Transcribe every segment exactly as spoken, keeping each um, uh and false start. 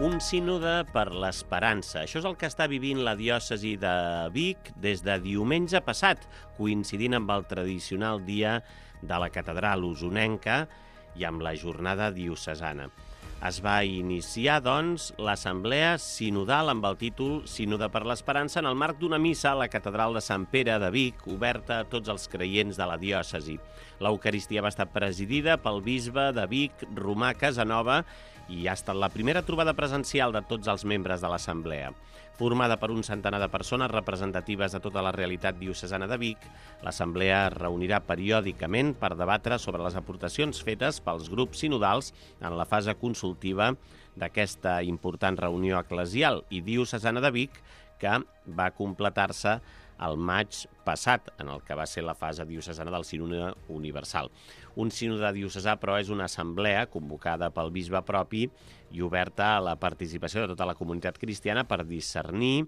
Un sínode per l'esperança. Això és el que està vivint la diòcesi de Vic des de diumenge passat, coincidint amb el tradicional dia de la catedral usonenca i amb la jornada diocesana. Es va iniciar, doncs, l'assemblea sinodal amb el títol Sínode per l'Esperança en el marc d'una missa a la catedral de Sant Pere de Vic, oberta a tots els creients de la diòcesi. L'Eucaristia va estar presidida pel bisbe de Vic, Romà Casanova, i ha estat la primera trobada presencial de tots els membres de l'assemblea. Formada per un centenar de persones representatives de tota la realitat diocesana de Vic, l'assemblea es reunirà periòdicament per debatre sobre les aportacions fetes pels grups sinodals en la fase consultiva d'aquesta important reunió eclesial i diocesana de Vic, que va completar-se el maig passat, en el que va ser la fase diocesana del sínode universal. Un sínode diocesà, però, és una assemblea convocada pel bisbe propi i oberta a la participació de tota la comunitat cristiana per discernir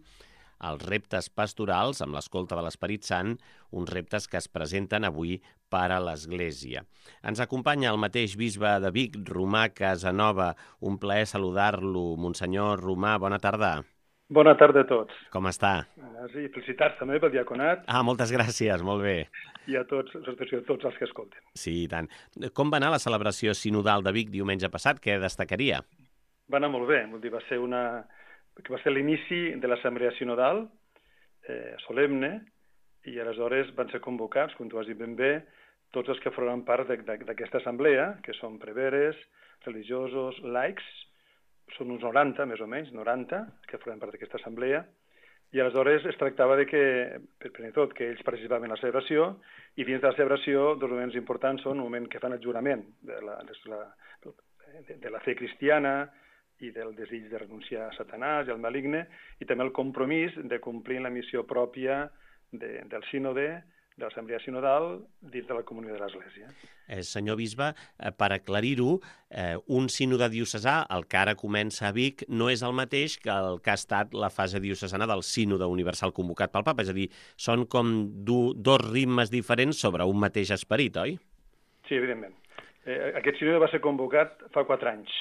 els reptes pastorals amb l'escolta de l'Esperit Sant, uns reptes que es presenten avui per a l'Església. Ens acompanya el mateix bisbe de Vic, Romà Casanova. Un plaer saludar-lo. Monsenyor Romà, bona tarda. Bona tarda a tots. Com està? Sí, felicitats també pel diaconat. Ah, moltes gràcies, molt bé. I a tots, a tots els que escolten. Sí, i tant. Com va anar la celebració sinodal de Vic diumenge passat? Què destacaria? Va anar molt bé, vol dir, va ser una... va ser l'inici de l'assemblea sinodal, eh, solemne, i aleshores van ser convocats, com tu has dit ben bé, tots els que formen part d'aquesta assemblea, que són preveres, religiosos, laics, són uns noranta, més o menys, noranta, que formen part d'aquesta assemblea, i aleshores es tractava de que, per primer tot, que ells participaven en la celebració, i dins de la celebració, dos moments importants són un moment que fan el jurament de la, de la, de la fe cristiana i del desig de renunciar a Satanàs i al maligne, i també el compromís de complir la missió pròpia de, del sínode, de l'assemblea sinodal, dins de la comunió de l'Església. Eh, senyor bisbe, eh, per aclarir-ho, eh, un sínode diocesà, el que ara comença a Vic, no és el mateix que el que ha estat la fase diocesana del sínode universal convocat pel papa, és a dir, són com du, dos ritmes diferents sobre un mateix esperit, oi? Sí, evidentment. Eh, aquest sínode va ser convocat fa quatre anys.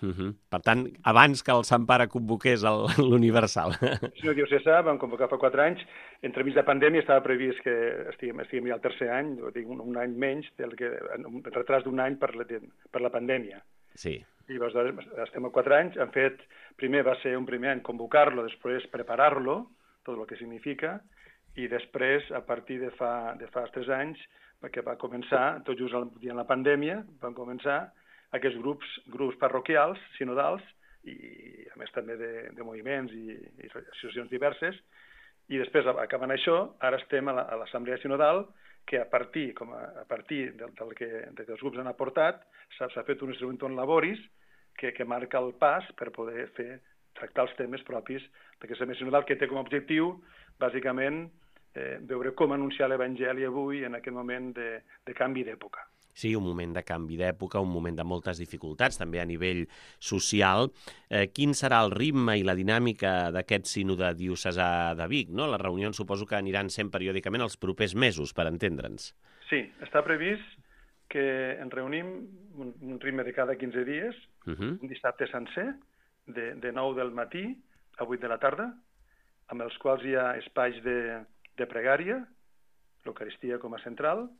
Uh -huh. Per tant, abans que el Sant Pare convoqués l'Universal. El sínode diocesà vam convocar fa quatre anys. Entremig de pandèmia estava previst que estiguem, estiguem ja al tercer any, dic, un, un any menys, del que, un retras d'un any per la, per la pandèmia. Sí. I llavors estem a quatre anys. Han fet, primer va ser un primer any convocar-lo, després preparar-lo, tot el que significa, i després, a partir de fa, de fa tres anys, que va començar, tot just el dia de la pandèmia, van començar aquests grups, grups parroquials, sinodals, i a més també de, de moviments i, i associacions diverses, i després, acabant això, ara estem a l'assemblea sinodal, que a partir, com a, a partir del, del que, de que els grups han aportat, s'ha fet un instrumentum laboris que, que marca el pas per poder fer, tractar els temes propis d'aquesta assemblea sinodal, que té com a objectiu, bàsicament, eh, veure com anunciar l'Evangeli avui en aquest moment de, de canvi d'època. Sí, un moment de canvi d'època, un moment de moltes dificultats, també a nivell social. Eh, quin serà el ritme i la dinàmica d'aquest sínode diocesà de Vic, no? Les reunions suposo que aniran sent periòdicament els propers mesos, per entendre'ns. Sí, està previst que ens reunim un, un ritme de cada quinze dies, uh -huh. un dissabte sencer, de, de nou del matí a vuit de la tarda, amb els quals hi ha espais de, de pregària, l'Eucaristia com a central,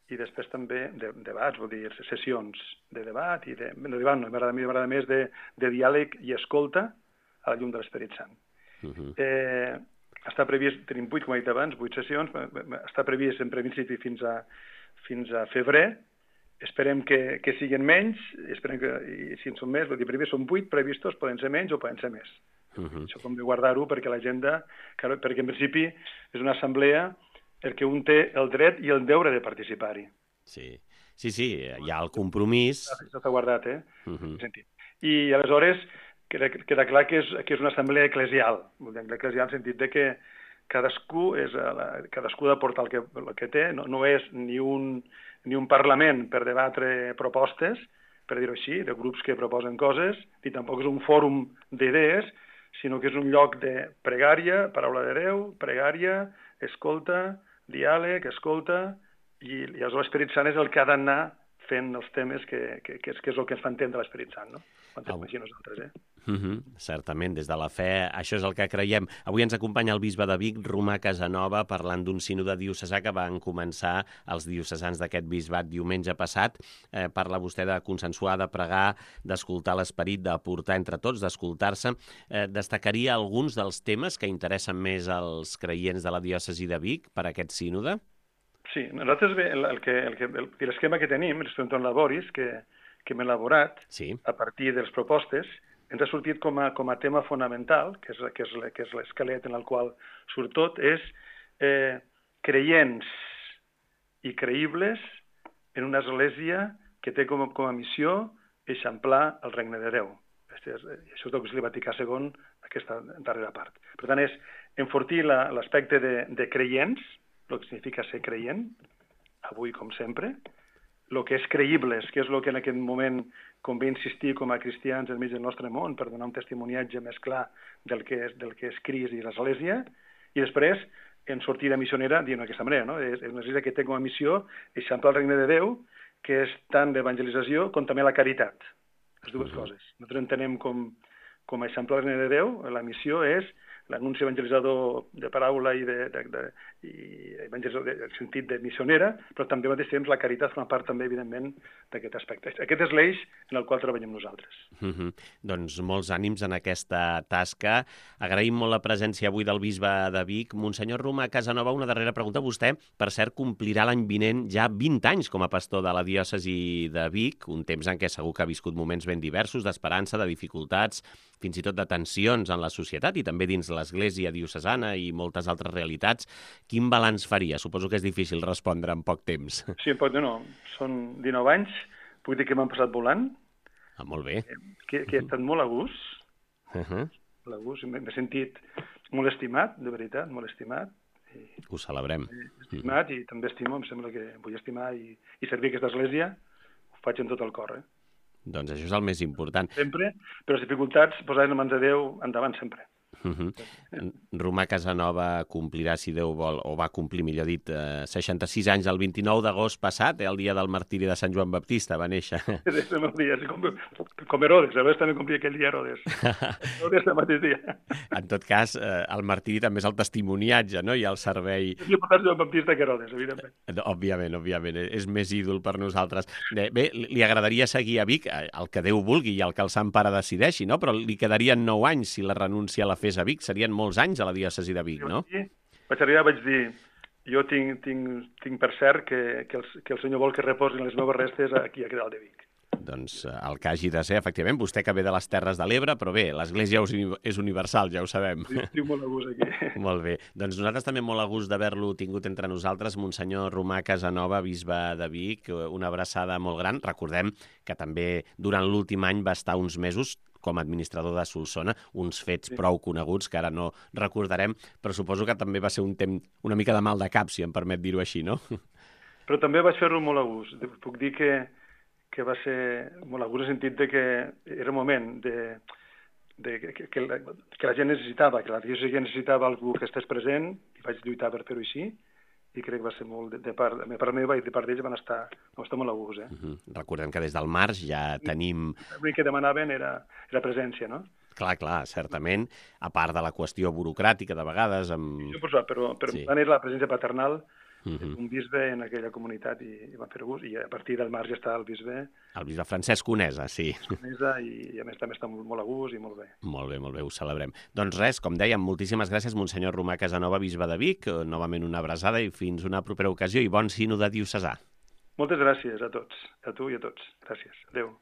i després també de, debats, vol dir, sessions de debat, i de, no, debat no, m'agrada més de, de diàleg i escolta a la llum de l'Esperit Sant. Uh -huh. eh, està previst, tenim vuit, com he dit abans, vuit sessions, està previst en principi fins a, fins a febrer, esperem que, que siguin menys, esperem que, i si en són més, vol dir, primer són vuit previstos, poden ser menys o poden ser més. Uh -huh. Això com de guardar-ho perquè l'agenda, perquè en principi és una assemblea el que un té el dret i el deure de participar-hi. Sí, sí, sí, hi ha el compromís. Això s'ha guardat, eh? Uh -huh. I aleshores queda, queda clar que és, que és una assemblea eclesial, eclesial en el sentit de que cadascú és la, cadascú ha d'aportar el, que, el que té, no, no és ni un, ni un parlament per debatre propostes, per dir-ho així, de grups que proposen coses, ni tampoc és un fòrum d'idees, sinó que és un lloc de pregària, paraula de Déu, pregària, escolta, diàleg, escolta, i, i aleshores l'Esperit Sant és el que ha d'anar fent els temes que, que, que, és, que és el que ens fa entendre l'Esperit Sant, no? Quan Au. així nosaltres, eh? Uh -huh. Certament, des de la fe, això és el que creiem. Avui ens acompanya el bisbe de Vic, Romà Casanova, parlant d'un sínode diocesà que van començar els diocesans d'aquest bisbat diumenge passat. Eh, parla vostè de consensuar, de pregar, d'escoltar l'Esperit, d'aportar entre tots, d'escoltar-se. Eh, destacaria alguns dels temes que interessen més als creients de la diòcesi de Vic per a aquest sínode? Sí, nosaltres el, el que, el que, el, l'esquema que tenim, l'Esperit Laboris, que, que hem elaborat sí. a partir de les propostes, ens ha sortit com a, com a tema fonamental, que és, que és, que és l'esquelet en el qual surt tot, és eh, creients i creïbles en una església que té com a, com a missió eixamplar el regne de Déu. Això és, això és el que és el Vaticà segon, aquesta darrera part. Per tant, és enfortir l'aspecte de, de creients, el que significa ser creient, avui com sempre, el que és creïbles, que és el que en aquest moment convé insistir com a cristians enmig del nostre món per donar un testimoniatge més clar del que és, del que és Crist i l'Església, i després en sortida missionera dient d'aquesta manera, no? És una església que té com a missió eixamplar el regne de Déu, que és tant l'evangelització com també la caritat, les dues uh-huh. coses. Nosaltres entenem com, com a eixamplar el regne de Déu, la missió és l'anunci evangelitzador de paraula i, de, de, de, i evangelitzador de, en sentit de missionera, però també al mateix temps la caritat forma part també, evidentment, d'aquest aspecte. Aquest és l'eix en el qual treballem nosaltres. Uh -huh. Doncs molts ànims en aquesta tasca. Agraïm molt la presència avui del bisbe de Vic. Monsenyor Romà Casanova, una darrera pregunta. Vostè, per cert, complirà l'any vinent ja vint anys com a pastor de la diòcesi de Vic, un temps en què segur que ha viscut moments ben diversos, d'esperança, de dificultats, fins i tot de tensions en la societat i també dins l'Església diocesana i moltes altres realitats. Quin balanç faria? Suposo que és difícil respondre en poc temps. Sí, en poc temps no. Són dinou anys. Puc dir que m'han passat volant. Ah, molt bé. Que, que he estat molt a gust. Uh -huh. A gust. M'he sentit molt estimat, de veritat, molt estimat. I, Ho celebrem. Estimat uh -huh. i també estimo, em sembla que vull estimar i, i servir aquesta església. Ho faig amb tot el cor, eh? Doncs això és el més important. Sempre, però les dificultats, posar en mans de Déu, endavant sempre. Uh -huh. Romà Casanova complirà, si Déu vol, o va complir, millor dit, eh, seixanta-sis anys el vint-i-nou d'agost passat, eh, el dia del martiri de Sant Joan Baptista, va néixer. És el meu dia, com, com Herodes, a vegades també complia aquell dia Herodes. Herodes el mateix dia. En tot cas, eh, el martiri també és el testimoniatge, no?, i el servei... És important Joan Baptista que Herodes, evidentment. Òbviament, òbviament, és més ídol per nosaltres. Bé, li agradaria seguir a Vic, el que Déu vulgui i el que el Sant Pare decideixi, no?, però li quedarien nou anys si la renúncia la fes a Vic. Serien molts anys a la diòcesi de Vic, no? Sí, vaig arribar, vaig dir, jo tinc, tinc, tinc per cert que, que, el, que el Senyor vol que reposin les meves restes aquí a Dalt de Vic. Doncs el que hagi de ser, efectivament, vostè que ve de les Terres de l'Ebre, però bé, l'Església és universal, ja ho sabem. Sí, estic molt a gust aquí. Molt bé. Doncs nosaltres també molt a gust d'haver-lo tingut entre nosaltres, Monsenyor Romà Casanova, bisbe de Vic, una abraçada molt gran. Recordem que també durant l'últim any va estar uns mesos com a administrador de Solsona, uns fets sí. prou coneguts que ara no recordarem, però suposo que també va ser un temps una mica de mal de cap, si em permet dir-ho així, no? Però també vaig fer-ho molt a gust. Puc dir que, que va ser molt a gust en el sentit de que era un moment de, de, que, que, la, que la gent necessitava, que la diòcesi necessitava algú que estés present, i vaig lluitar per fer-ho així, i crec que va ser molt, de, de part, de part meva i de part d'ells van estar, van estar molt a gust. Eh? Uh -huh. Recordem que des del març ja tenim... L'únic que demanaven era, era presència, no? Clar, clar, certament, a part de la qüestió burocràtica de vegades... Amb... Sí, però, però, però sí. Era la presència paternal uh -huh. un bisbe en aquella comunitat i, i van fer gust, i a partir del març ja està el bisbe... El bisbe Francesc Conesa, sí. Conesa, i, i a més també està molt, molt a gust i molt bé. Molt bé, molt bé, ho celebrem. Doncs res, com dèiem, moltíssimes gràcies, Monsenyor Romà Casanova, bisbe de Vic, novament una abraçada i fins una propera ocasió i bon sínode diocesà. Moltes gràcies a tots, a tu i a tots. Gràcies. Adéu.